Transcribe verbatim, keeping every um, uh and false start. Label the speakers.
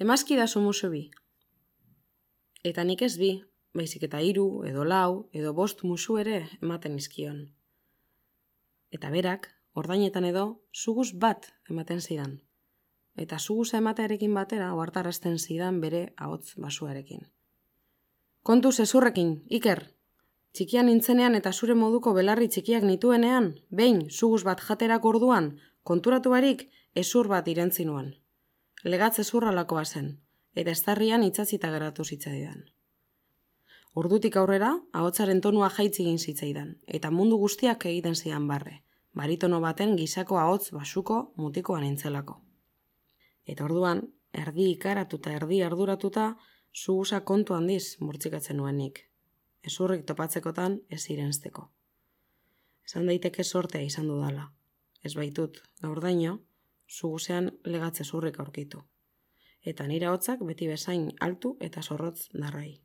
Speaker 1: Emazki da sumusu bi. Eta nik ez bi, baizik eta hiru, edo lau, edo bost musu ere ematen izkion. Eta berak, ordainetan edo, suguz bat ematen zidan. Eta suguza ematearekin batera, ohartarazten zidan bere ahots basuarekin. Kontu zezurrekin, Iker! Txikian nintzenean eta zure moduko belarri txikiak nituenean, behin, suguz bat jaterak orduan, konturatu barik, ezur bat irentzi nuen. Legatz ezurralakoa zen, eta estarrian itzatzita geratu zitzaidan. Ordutik aurrera, ahotsaren tonua jaitzi egin zitzaidan, eta mundu guztiak egiten zidan barre, baritono baten gisako ahots basuko mutikoa nintzelako. Eta orduan, erdi ikaratuta, erdi arduratuta, suguza kontu handiz murtzikatzen nuenik. Ezurrik topatzekotan ez irensteko. Esan daiteke sortea izan dudala. Ez baitut, gaurdaino, suguzean legatze zurrik aurkitu. Eta nire hotzak beti bezain altu eta zorrotz darrai.